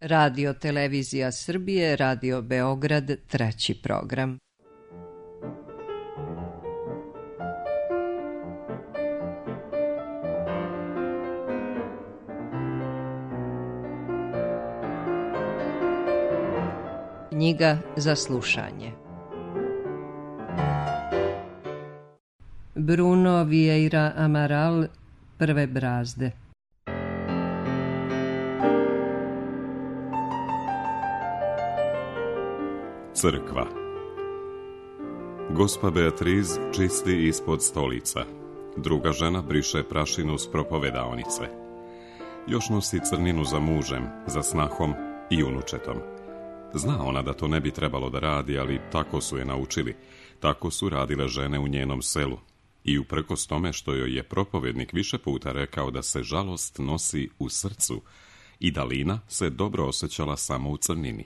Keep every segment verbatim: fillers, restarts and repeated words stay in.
Radio Televizija Srbije, Radio Beograd, treći program. Knjiga za slušanje. Bruno Vieira Amaral, Prve brazde. Crkva. Gospa Beatriz čisti ispod stolica. Druga žena briše prašinu s propovedaonice. Još nosi crninu za mužem, za snahom i unučetom. Zna ona da to ne bi trebalo da radi, ali tako su je naučili. Tako su radile žene u njenom selu. I uprkos tome što joj je propovednik više puta rekao da se žalost nosi u srcu i da Lina se dobro osjećala samo u crnini.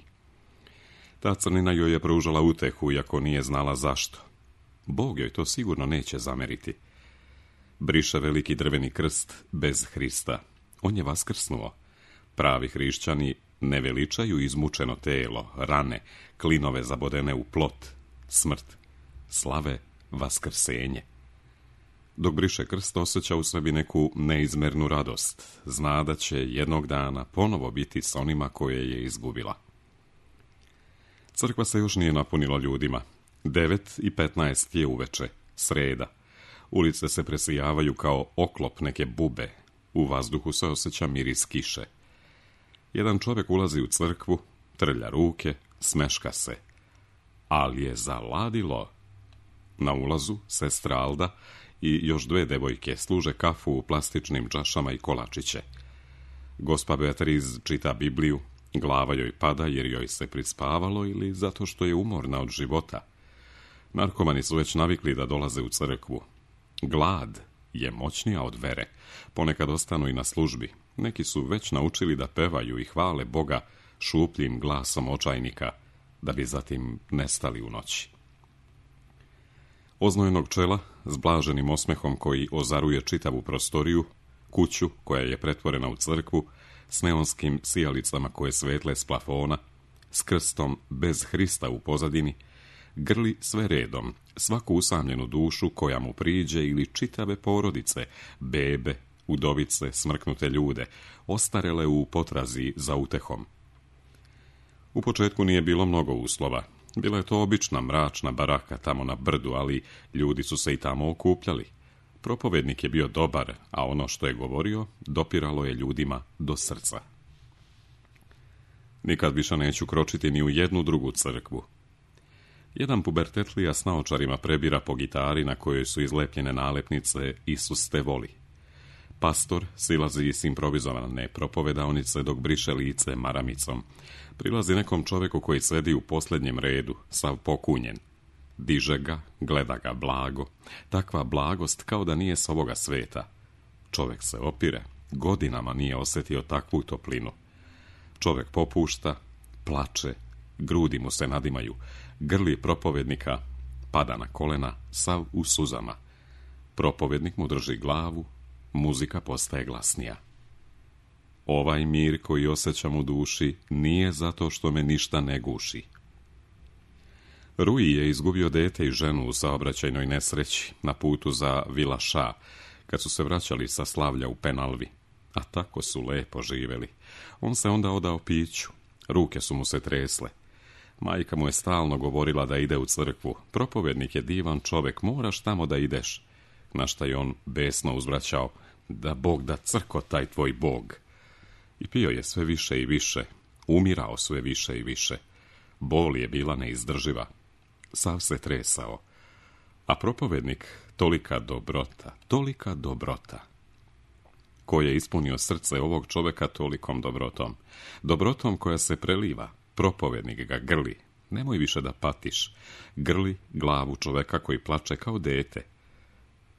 Ta crnina joj je pružala utehu, iako nije znala zašto. Bog joj to sigurno neće zameriti. Briše veliki drveni krst bez Hrista. On je vaskrsnuo. Pravi hrišćani ne veličaju izmučeno telo, rane, klinove zabodene u plot, smrt, slave vaskrsenje. Dok briše krst, osjeća u sebi neku neizmernu radost. Zna da će jednog dana ponovo biti s onima koje je izgubila. Crkva se još nije napunila ljudima. Devet i petnaest je uveče, sreda. Ulice se presijavaju kao oklop neke bube. U vazduhu se osjeća miris kiše. Jedan čovjek ulazi u crkvu, trlja ruke, smeška se. Ali je zaladilo. Na ulazu sestra Alda i još dve devojke služe kafu u plastičnim čašama i kolačiće. Gospa Beatriz čita Bibliju, glava joj pada jer joj se prispavalo ili zato što je umorna od života. Narkomani su već navikli da dolaze u crkvu. Glad je moćnija od vere. Ponekad ostanu i na službi. Neki su već naučili da pevaju i hvale Boga šupljim glasom očajnika, da bi zatim nestali u noći. Oznojenog čela, s blaženim osmehom koji ozaruje čitavu prostoriju, kuću koja je pretvorena u crkvu, s neonskim sijalicama koje svetle s plafona, s krstom bez Hrista u pozadini, grli sve redom, svaku usamljenu dušu koja mu priđe ili čitave porodice, bebe, udovice, smrknute ljude, ostarele u potrazi za utehom. U početku nije bilo mnogo uslova. Bila je to obična mračna baraka tamo na brdu, ali ljudi su se i tamo okupljali. Propovednik je bio dobar, a ono što je govorio dopiralo je ljudima do srca. Nikad više neću kročiti ni u jednu drugu crkvu. Jedan pubertetlija s naočarima prebira po gitari na kojoj su izlepljene nalepnice Isus te voli. Pastor silazi s improvizovane propovedaonice dok briše lice maramicom. Prilazi nekom čovjeku koji sedi u posljednjem redu, sav pokunjen. Diže ga, gleda ga blago. Takva blagost kao da nije s ovoga sveta. Čovjek se opire, godinama nije osjetio takvu toplinu. Čovjek popušta, plače, grudi mu se nadimaju, grli propovednika, pada na kolena, sav u suzama. Propovednik mu drži glavu, muzika postaje glasnija. Ovaj mir koji osjećam u duši nije zato što me ništa ne guši. Rui je izgubio dete i ženu u saobraćajnoj nesreći na putu za Vila Ša, kad su se vraćali sa slavlja u Penalvi. A tako su lepo živjeli. On se onda odao piću. Ruke su mu se tresle. Majka mu je stalno govorila da ide u crkvu. Propovednik je divan čovjek, moraš tamo da ideš. Na šta je on besno uzvraćao, da Bog da crko taj tvoj Bog. I pio je sve više i više, umirao sve više i više. Bol je bila neizdrživa. Sav se tresao. A propovednik, tolika dobrota, tolika dobrota. Ko je ispunio srce ovog čovjeka tolikom dobrotom? Dobrotom koja se preliva. Propovednik ga grli. Nemoj više da patiš. Grli glavu čovjeka koji plače kao dete.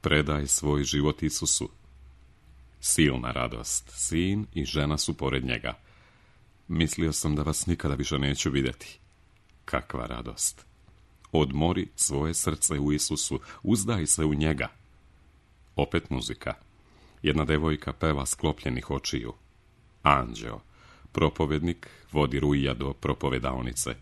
Predaj svoj život Isusu. Silna radost. Sin i žena su pored njega. Mislio sam da vas nikada više neću vidjeti. Kakva radost. Odmori svoje srce u Isusu. Uzdaj se u njega. Opet muzika. Jedna devojka peva sklopljenih očiju. Anđeo, Propovednik vodi Ruija do propovedaonice.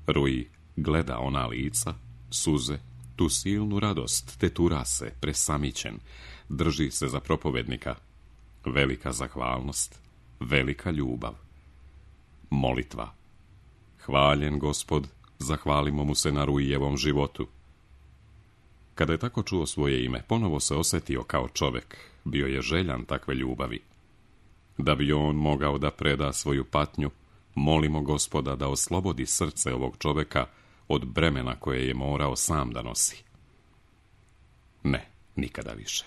Ruij gleda ona lica, suze, tu silnu radost, te tura se, presamićen, drži se za propovednika. Velika zahvalnost, velika ljubav. Molitva. Hvaljen Gospod, zahvalimo mu se na Ruijevom životu. Kada je tako čuo svoje ime, ponovo se osjetio kao čovjek, bio je željan takve ljubavi. Da bi on mogao da preda svoju patnju, molimo Gospoda da oslobodi srce ovog čovjeka od bremena koje je morao sam da nosi. Ne, nikada više.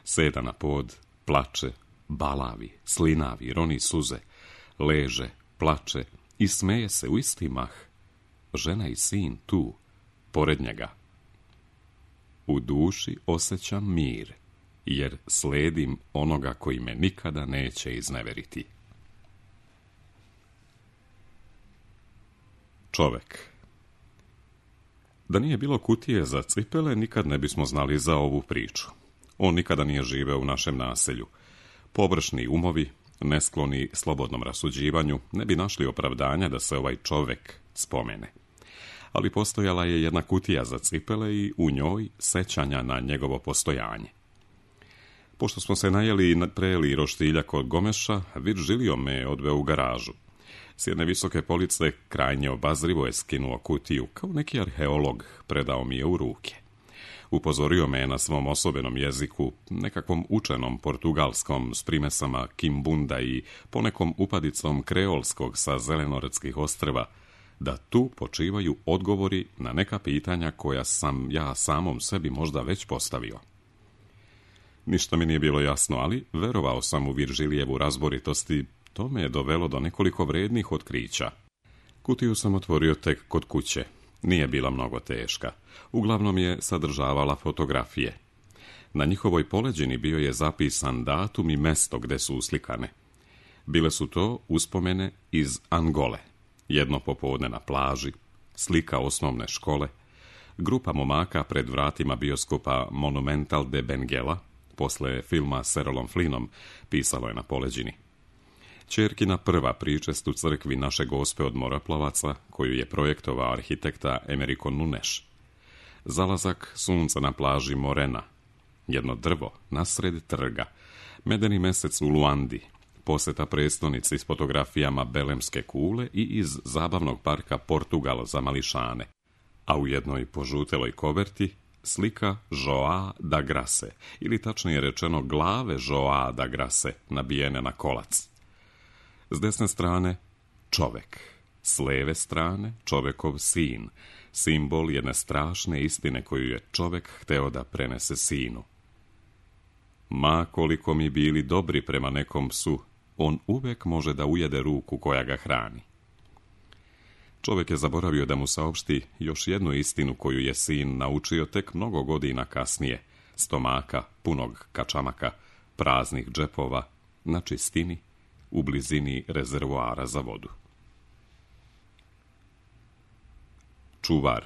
Seda na pod, plače, balavi, slinavi, roni suze, leže, plače i smeje se u isti mah. Žena i sin tu, pored njega. U duši osjećam mir, jer sledim onoga koji me nikada neće izneveriti. Čovek. Da nije bilo kutije za cipele, nikad ne bismo znali za ovu priču. On nikada nije živeo u našem naselju. Površni umovi, neskloni slobodnom rasuđivanju, ne bi našli opravdanja da se ovaj čovek spomene. Ali postojala je jedna kutija za cipele i u njoj sećanja na njegovo postojanje. Pošto smo se najeli i prejeli roštilja kod Gomeša, Viržilio me odveo u garažu. S jedne visoke police krajnje obazrivo je skinuo kutiju, kao neki arheolog predao mi je u ruke. Upozorio me na svom osobenom jeziku, nekakvom učenom portugalskom s primesama kimbunda i ponekom upadicom kreolskog sa zelenorodskih ostrva, da tu počivaju odgovori na neka pitanja koja sam ja samom sebi možda već postavio. Ništa mi nije bilo jasno, ali verovao sam u Viržilijevu razboritost i to me je dovelo do nekoliko vrednih otkrića. Kutiju sam otvorio tek kod kuće. Nije bila mnogo teška. Uglavnom je sadržavala fotografije. Na njihovoj poleđini bio je zapisan datum i mesto gde su uslikane. Bile su to uspomene iz Angole. Jedno popodne na plaži, slika osnovne škole, grupa momaka pred vratima bioskopa Monumental de Benguela, posle filma s Errolom Flynnom, pisalo je na poleđini. Ćerkina prva pričest u crkvi Naše Gospe od Moroplovaca, koju je projektovao arhitekta Americo Nunes. Zalazak sunca na plaži Morena. Jedno drvo nasred trga. Medeni mesec u Luandi. Poseta prestonici s fotografijama Belemske kule i iz zabavnog parka Portugal za mališane. A u jednoj požuteloj koverti slika Joa da Grace, ili tačnije rečeno glave Joa da Grace, nabijene na kolac. S desne strane čovek, s leve strane čovekov sin, simbol jedne strašne istine koju je čovek hteo da prenese sinu. Ma koliko mi bili dobri prema nekom psu, on uvek može da ujede ruku koja ga hrani. Čovek je zaboravio da mu saopšti još jednu istinu koju je sin naučio tek mnogo godina kasnije, stomaka, punog kačamaka, praznih džepova, na čistini, u blizini rezervoara za vodu. Čuvar.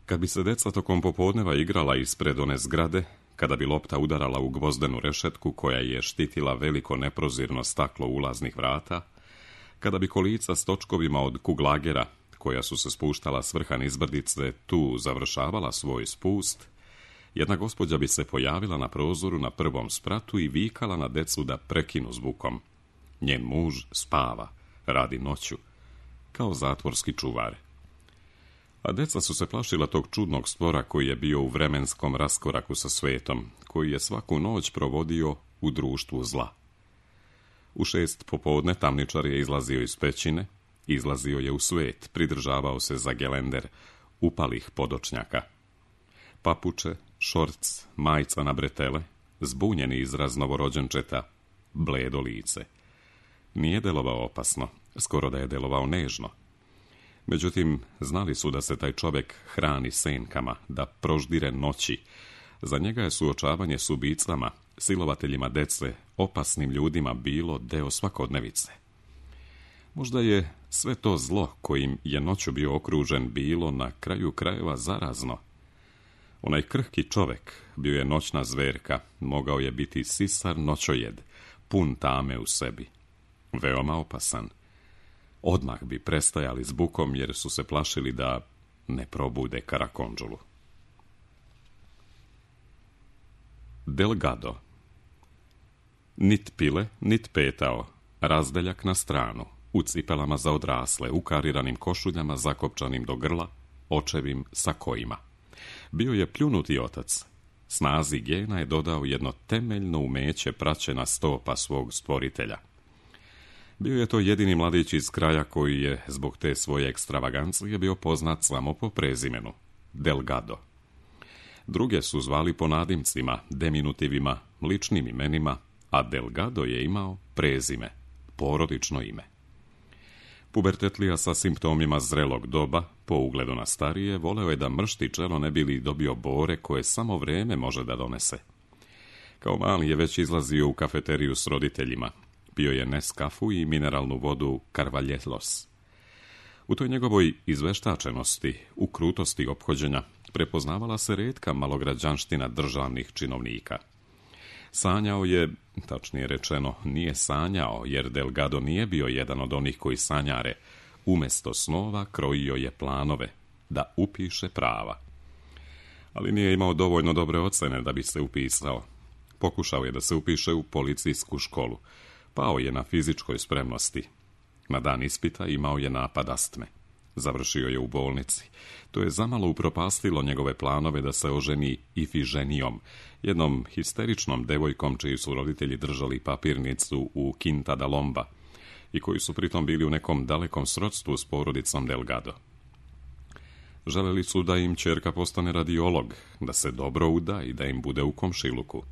Kad bi se deca tokom popodneva igrala ispred one zgrade, kada bi lopta udarala u gvozdenu rešetku koja je štitila veliko neprozirno staklo ulaznih vrata, kada bi kolica s točkovima od kuglagera, koja su se spuštala s vrha nizbrdice, tu završavala svoj spust, jedna gospođa bi se pojavila na prozoru na prvom spratu i vikala na decu da prekinu zvukom. Njen muž spava, radi noću, kao zatvorski čuvar. A deca su se plašila tog čudnog stvora koji je bio u vremenskom raskoraku sa svetom, koji je svaku noć provodio u društvu zla. U šest popodne tamničar je izlazio iz pećine, izlazio je u svet, pridržavao se za gelender, upalih podočnjaka. Papuče, šorc, majica na bretele, zbunjeni izraz novorođenčeta, bledo lice. Nije delovao opasno, skoro da je delovao nežno. Međutim, znali su da se taj čovjek hrani senkama, da proždire noći. Za njega je suočavanje s ubicama, silovateljima dece, opasnim ljudima bilo deo svakodnevice. Možda je sve to zlo kojim je noću bio okružen bilo na kraju krajeva zarazno. Onaj krhki čovjek bio je noćna zverka, mogao je biti sisar noćojed, pun tame u sebi. veoma opasan. Odmah bi prestajali s bukom jer su se plašili da ne probude Karakondžulu. Delgado. Nit pile, nit petao, razdeljak na stranu, u cipelama za odrasle, u kariranim košuljama zakopčanim do grla, očevim sakojima. Bio je pljunuti otac. Snazi gena je dodao jedno temeljno umeće praćena stopa svog stvoritelja. Bio je to jedini mladić iz kraja koji je, zbog te svoje ekstravagancije, bio poznat samo po prezimenu, Delgado. Druge su zvali po nadimcima, deminutivima, ličnim imenima, a Delgado je imao prezime, porodično ime. Pubertetlija sa simptomima zrelog doba, po ugledu na starije, voleo je da mršti čelo ne bi li dobio bore koje samo vreme može da donese. Kao mali je već izlazio u kafeteriju s roditeljima. Pio je Neskafu i mineralnu vodu Carvalhelos. U toj njegovoj izveštačenosti, u krutosti ophođenja, prepoznavala se retka malograđanština državnih činovnika. Sanjao je, tačnije rečeno, nije sanjao, jer Delgado nije bio jedan od onih koji sanjare. Umesto snova krojio je planove, da upiše prava. Ali nije imao dovoljno dobre ocene da bi se upisao. Pokušao je da se upiše u policijsku školu. Pao je na fizičkoj spremnosti. Na dan ispita imao je napad astme. Završio je u bolnici. To je zamalo upropastilo njegove planove da se oženi Ifiženijom, jednom histeričnom devojkom čiji su roditelji držali papirnicu u Quinta da Lomba i koji su pritom bili u nekom dalekom srodstvu s porodicom Delgado. Želeli su da im ćerka postane radiolog, da se dobro uda i da im bude u komšiluku.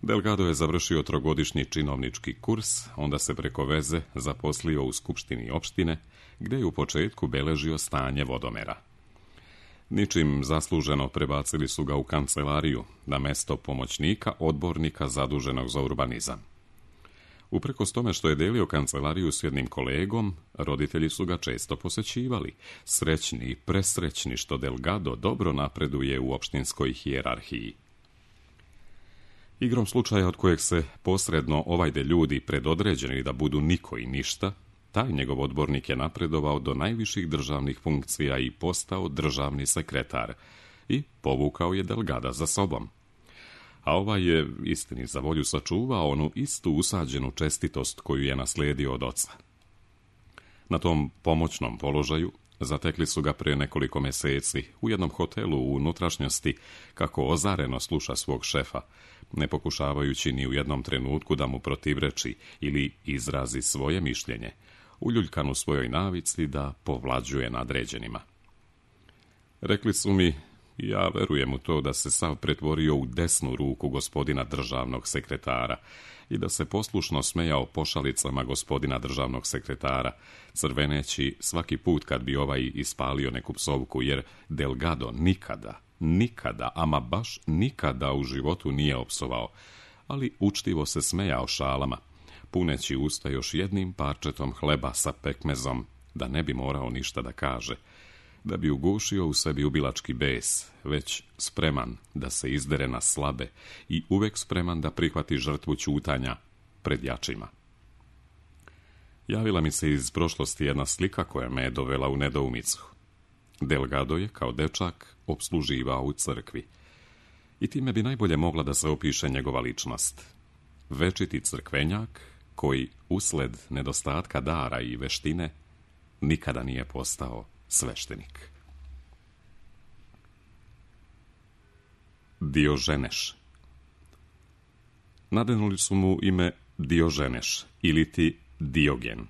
Delgado je završio trogodišnji činovnički kurs, onda se preko veze zaposlio u skupštini opštine, gdje je u početku beležio stanje vodomera. Ničim zasluženo prebacili su ga u kancelariju, na mesto pomoćnika odbornika zaduženog za urbanizam. Uprkos tome što je delio kancelariju s jednim kolegom, roditelji su ga često posećivali, srećni i presrećni što Delgado dobro napreduje u opštinskoj hijerarhiji. Igrom slučaja od kojeg se posredno ovajde ljudi predodređeni da budu niko i ništa, taj njegov odbornik je napredovao do najviših državnih funkcija i postao državni sekretar i povukao je Delgada za sobom. A ovaj je, istini za volju, sačuvao onu istu usađenu čestitost koju je naslijedio od oca. Na tom pomoćnom položaju zatekli su ga prije nekoliko meseci u jednom hotelu u unutrašnjosti, kako ozareno sluša svog šefa, ne pokušavajući ni u jednom trenutku da mu protivreči ili izrazi svoje mišljenje, uljuljkan u svojoj navici da povlađuje nadređenima. Rekli su mi, ja verujem u to, da se sav pretvorio u desnu ruku gospodina državnog sekretara i da se poslušno smejao pošalicama gospodina državnog sekretara, crveneći svaki put kad bi ovaj ispalio neku psovku, jer Delgado nikada, nikada, ama baš nikada u životu nije opsovao, ali učtivo se smejao šalama, puneći usta još jednim parčetom hleba sa pekmezom, da ne bi morao ništa da kaže, da bi ugušio u sebi ubilački bes, već spreman da se izdere na slabe i uvek spreman da prihvati žrtvu ćutanja pred jačima. Javila mi se iz prošlosti jedna slika koja me je dovela u nedoumicu. Delgado je, kao dečak, opsluživao u crkvi. I time bi najbolje mogla da se opiše njegova ličnost. Večiti crkvenjak, koji, usled nedostatka dara i veštine, nikada nije postao sveštenik. Dioženeš. Nadenuli su mu ime Dioženeš, ili ti Diogen.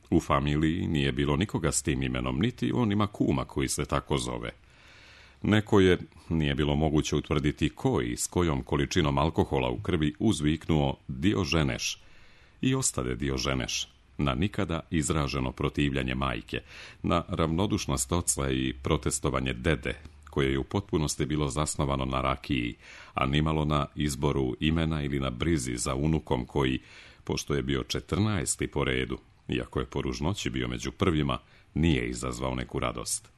U familiji nije bilo nikoga s tim imenom, niti on ima kuma koji se tako zove. Neko je, nije bilo moguće utvrditi ko i s kojom količinom alkohola u krvi uzviknuo Dioženeš i ostade Dioženeš, na nikada izraženo protivljanje majke, na ravnodušnost oca i protestovanje dede, koje je u potpunosti bilo zasnovano na rakiji, a nimalo na izboru imena ili na brizi za unukom koji, pošto je bio četrnaesti po redu, iako je po ružnoći bio među prvima, nije izazvao neku radost.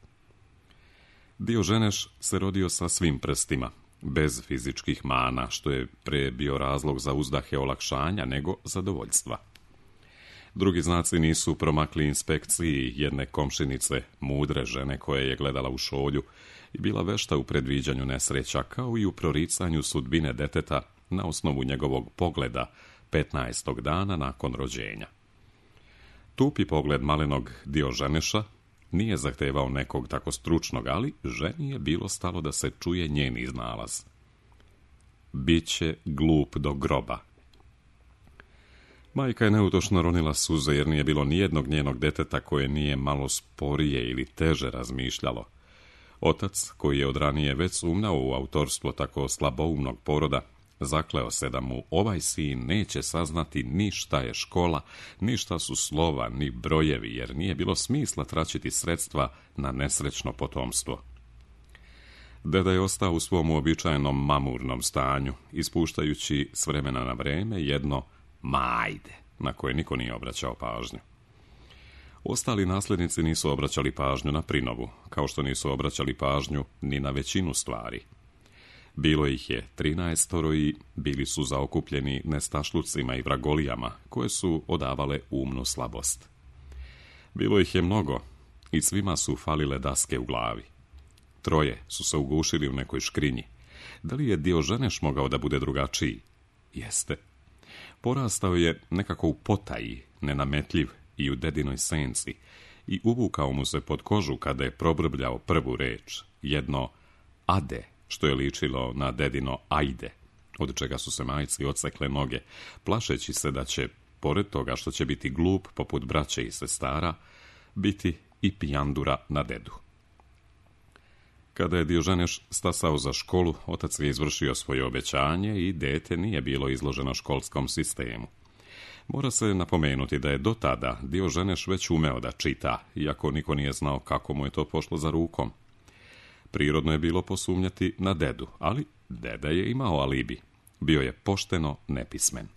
Dioženeš se rodio sa svim prstima, bez fizičkih mana, što je pre bio razlog za uzdahe olakšanja nego zadovoljstva. Drugi znaci nisu promakli inspekciji jedne komšinice, mudre žene koja je gledala u šolju i bila vešta u predviđanju nesreća, kao i u proricanju sudbine deteta na osnovu njegovog pogleda petnaestog dana nakon rođenja. Tupi pogled malenog Dioženeša nije zahtevao nekog tako stručnog, ali ženi je bilo stalo da se čuje njen iznalaz. Biće glup do groba. Majka je neutošno ronila suze, jer nije bilo nijednog njenog deteta koje nije malo sporije ili teže razmišljalo. Otac, koji je od ranije već sumnjao u autorstvo tako slaboumnog poroda, zakleo se da mu ovaj sin neće saznati ni šta je škola, ni šta su slova, ni brojevi, jer nije bilo smisla tračiti sredstva na nesrećno potomstvo. Deda je ostao u svom uobičajenom mamurnom stanju, ispuštajući s vremena na vreme jedno majde, na koje niko nije obraćao pažnju. Ostali nasljednici nisu obraćali pažnju na prinovu, kao što nisu obraćali pažnju ni na većinu stvari. Bilo ih je trinaestoro i bili su zaokupljeni nestašlucima i vragolijama, koje su odavale umnu slabost. Bilo ih je mnogo i svima su falile daske u glavi. Troje su se ugušili u nekoj škrinji. Da li je Dioženeš mogao da bude drugačiji? Jeste. Porastao je nekako u potaji, nenametljiv i u dedinoj senci, i uvukao mu se pod kožu kada je probrbljao prvu reč, jedno ade, što je ličilo na dedino ajde, od čega su se majci odsekle noge, plašeći se da će, pored toga što će biti glup poput braće i sestara, biti i pijandura na dedu. Kada je Dioženeš stasao za školu, otac je izvršio svoje obećanje i dete nije bilo izloženo školskom sistemu. Mora se napomenuti da je do tada Dioženeš već umeo da čita, iako niko nije znao kako mu je to pošlo za rukom. Prirodno je bilo posumnjati na dedu, ali deda je imao alibi. Bio je pošteno nepismen.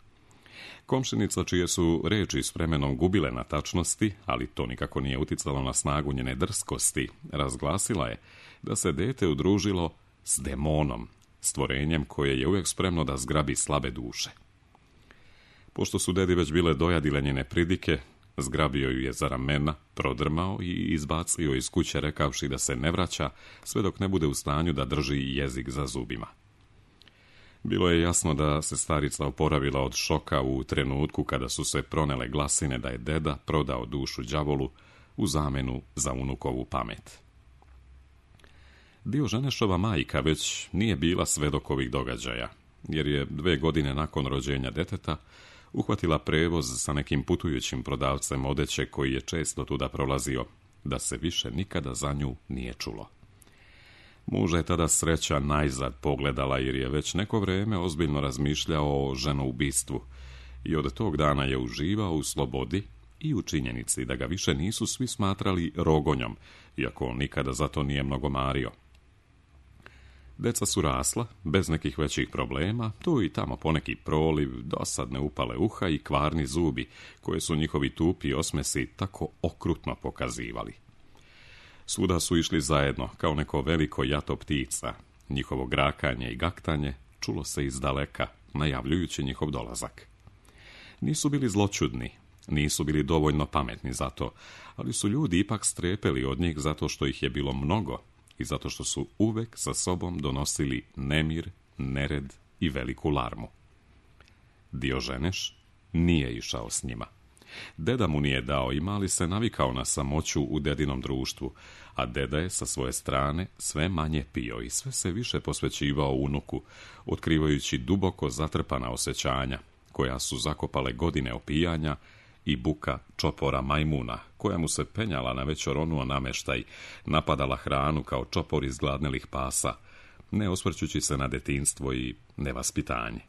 Komšinica, čije su reči s vremenom gubile na tačnosti, ali to nikako nije uticalo na snagu njene drskosti, razglasila je da se dete udružilo s demonom, stvorenjem koje je uvijek spremno da zgrabi slabe duše. Pošto su dedi već bile dojadile njene pridike, zgrabio ju je za ramena, prodrmao i izbacio iz kuće rekavši da se ne vraća sve dok ne bude u stanju da drži jezik za zubima. Bilo je jasno da se starica oporavila od šoka u trenutku kada su se pronele glasine da je deda prodao dušu đavolu u zamenu za unukovu pamet. Dioženešova majka već nije bila svedok ovih događaja, jer je dve godine nakon rođenja deteta uhvatila prevoz sa nekim putujućim prodavcem odeće koji je često tuda prolazio, da se više nikada za nju nije čulo. Muža je tada sreća najzad pogledala, jer je već neko vrijeme ozbiljno razmišljao o ženoubistvu i od tog dana je uživao u slobodi i u činjenici da ga više nisu svi smatrali rogonjom, iako on nikada za to nije mnogo mario. Deca su rasla, bez nekih većih problema, tu i tamo poneki proliv, dosadne upale uha i kvarni zubi, koje su njihovi tupi osmesi tako okrutno pokazivali. Svuda su išli zajedno, kao neko veliko jato ptica. Njihovo grakanje i gaktanje čulo se iz daleka, najavljujući njihov dolazak. Nisu bili zloćudni, nisu bili dovoljno pametni za to, ali su ljudi ipak strepeli od njih zato što ih je bilo mnogo i zato što su uvek sa sobom donosili nemir, nered i veliku larmu. Dioženeš nije išao s njima. Deda mu nije dao i mali se navikao na samoću u dedinom društvu, a deda je sa svoje strane sve manje pio i sve se više posvećivao unuku, otkrivajući duboko zatrpana osjećanja, koja su zakopale godine opijanja i buka čopora majmuna, koja mu se penjala na već oronuo nameštaj, napadala hranu kao čopor izgladnelih pasa, ne osvrćući se na detinjstvo i nevaspitanje.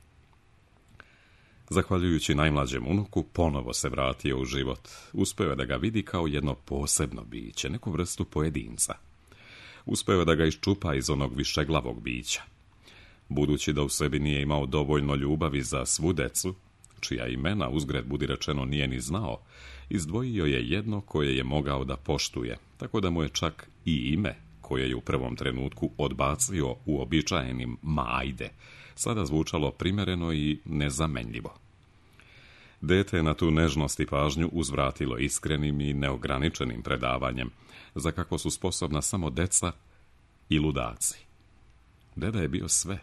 Zahvaljujući najmlađem unuku, ponovo se vratio u život. Uspeo je da ga vidi kao jedno posebno biće, neku vrstu pojedinca. Uspeo je da ga iščupa iz onog višeglavog bića. Budući da u sebi nije imao dovoljno ljubavi za svu decu, čija imena, uzgred budi rečeno, nije ni znao, izdvojio je jedno koje je mogao da poštuje, tako da mu je čak i ime, koje je u prvom trenutku odbacio uobičajenim majde, sada zvučalo primereno i nezamenljivo. Dete je na tu nežnost i pažnju uzvratilo iskrenim i neograničenim predavanjem, za kakvo su sposobna samo deca i ludaci. Deda je bio sve,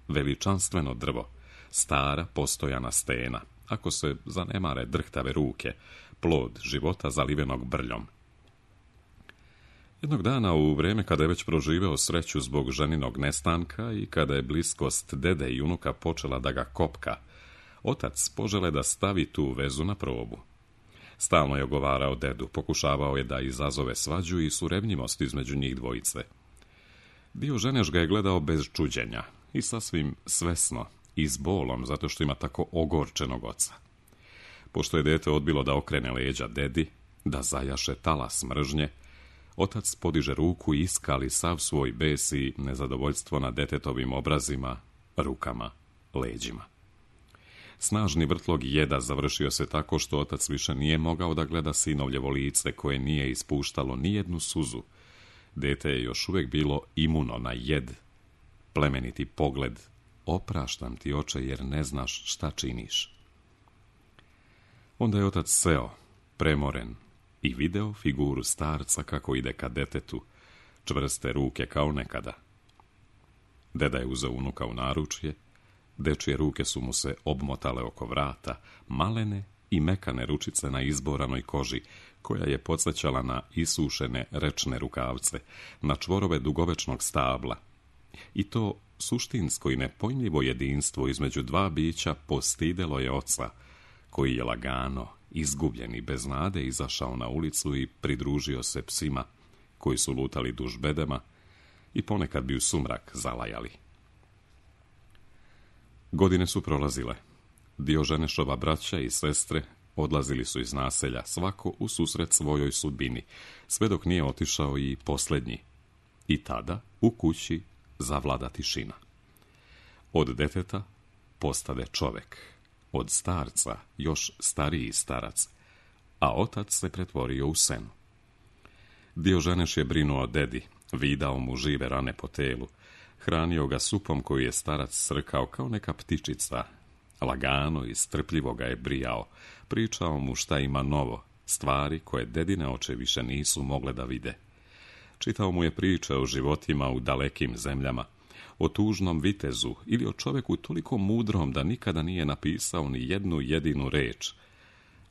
veličanstveno drvo, stara postojana stena, ako se zanemare drhtave ruke, plod života zalivenog brljom. Jednog dana, u vrijeme kada je već proživeo sreću zbog ženinog nestanka i kada je bliskost dede i unuka počela da ga kopka, otac požele da stavi tu vezu na probu. Stalno je ogovarao dedu, pokušavao je da izazove svađu i surevnjivost između njih dvojice. Dioženeš ga je gledao bez čuđenja i sasvim svesno i s bolom zato što ima tako ogorčenog oca. Pošto je dete odbilo da okrene leđa dedi, da zajaše talas mržnje, otac podiže ruku i iskali sav svoj bes i nezadovoljstvo na detetovim obrazima, rukama, leđima. Snažni vrtlog jeda završio se tako što otac više nije mogao da gleda sinovljevo lice koje nije ispuštalo ni jednu suzu. Dete je još uvijek bilo imuno na jed, plemeniti pogled, opraštam ti oče jer ne znaš šta činiš. Onda je otac seo, premoren, i video figuru starca kako ide ka detetu, čvrste ruke kao nekada. Deda je uzeo unuka u naručje, dečije ruke su mu se obmotale oko vrata, malene i mekane ručice na izboranoj koži, koja je podsjećala na isušene rečne rukavce, na čvorove dugovečnog stabla. I to suštinsko i nepojmljivo jedinstvo između dva bića postidelo je oca, koji je lagano, izgubljen i bez nade izašao na ulicu i pridružio se psima, koji su lutali duž bedema i ponekad bi u sumrak zalajali. Godine su prolazile. Dioženešova braća i sestre odlazili su iz naselja, svako u susret svojoj sudbini, sve dok nije otišao i posljednji. I tada u kući zavlada tišina. Od deteta postade čovek, od starca još stariji starac, a otac se pretvorio u senu. Dioženeš je brinuo o dedi, vidao mu žive rane po telu, hranio ga supom koju je starac srkao kao neka ptičica, lagano i strpljivo ga je brijao, pričao mu šta ima novo, stvari koje dedine oči više nisu mogle da vide. Čitao mu je priče o životima u dalekim zemljama, o tužnom vitezu ili o čovjeku toliko mudrom da nikada nije napisao ni jednu jedinu reč,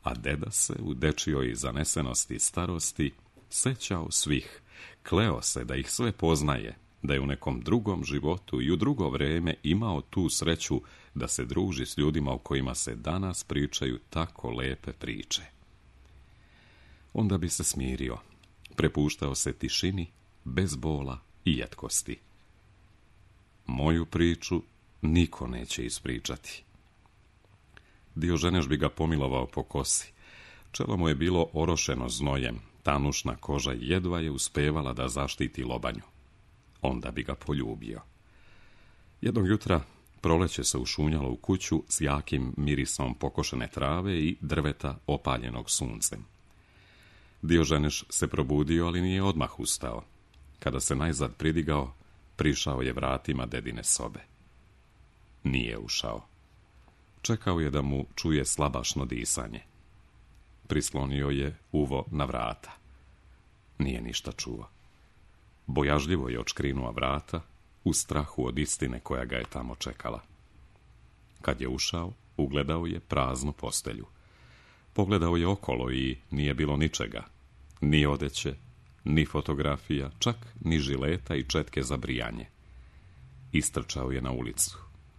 a deda se u dečijoj zanesenosti starosti sećao svih, kleo se da ih sve poznaje, da je u nekom drugom životu i u drugo vrijeme imao tu sreću da se druži s ljudima o kojima se danas pričaju tako lepe priče. Onda bi se smirio, prepuštao se tišini, bez bola i jetkosti. Moju priču niko neće ispričati. Dioženeš bi ga pomilovao po kosi. Čelo mu je bilo orošeno znojem, tanušna koža jedva je uspevala da zaštiti lobanju. Onda bi ga poljubio. Jednog jutra proleće se ušunjalo u kuću s jakim mirisom pokošene trave i drveta opaljenog suncem. Dioženeš se probudio, ali nije odmah ustao. Kada se najzad pridigao, prišao je vratima dedine sobe. Nije ušao. Čekao je da mu čuje slabašno disanje. Prislonio je uvo na vrata. Nije ništa čuo. Bojažljivo je odškrinuo vrata, u strahu od istine koja ga je tamo čekala. Kad je ušao, ugledao je praznu postelju. Pogledao je okolo i nije bilo ničega. Ni odeće, ni fotografija, čak ni žileta i četke za brijanje. Istrčao je na ulicu.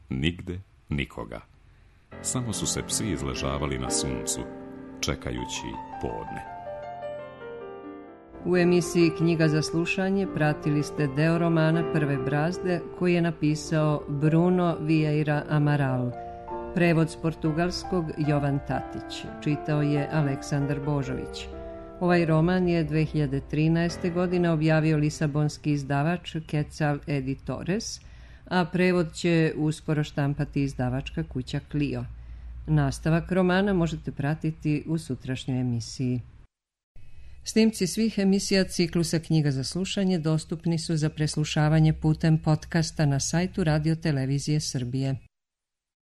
Nigde nikoga. Samo su se psi izležavali na suncu, čekajući podne. U emisiji Knjiga za slušanje pratili ste deo romana Prve brazde koji je napisao Bruno Vieira Amaral. Prevod s portugalskog Jovan Tatić. Čitao je Aleksandar Božović. Ovaj roman je dve hiljade trinaeste. godine objavio lisabonski izdavač Quetzal Editores, a prevod će uskoro štampati izdavačka kuća Clio. Nastavak romana možete pratiti u sutrašnjoj emisiji. Snimci svih emisija ciklusa Knjiga za slušanje dostupni su za preslušavanje putem podcasta na sajtu Radio Televizije Srbije.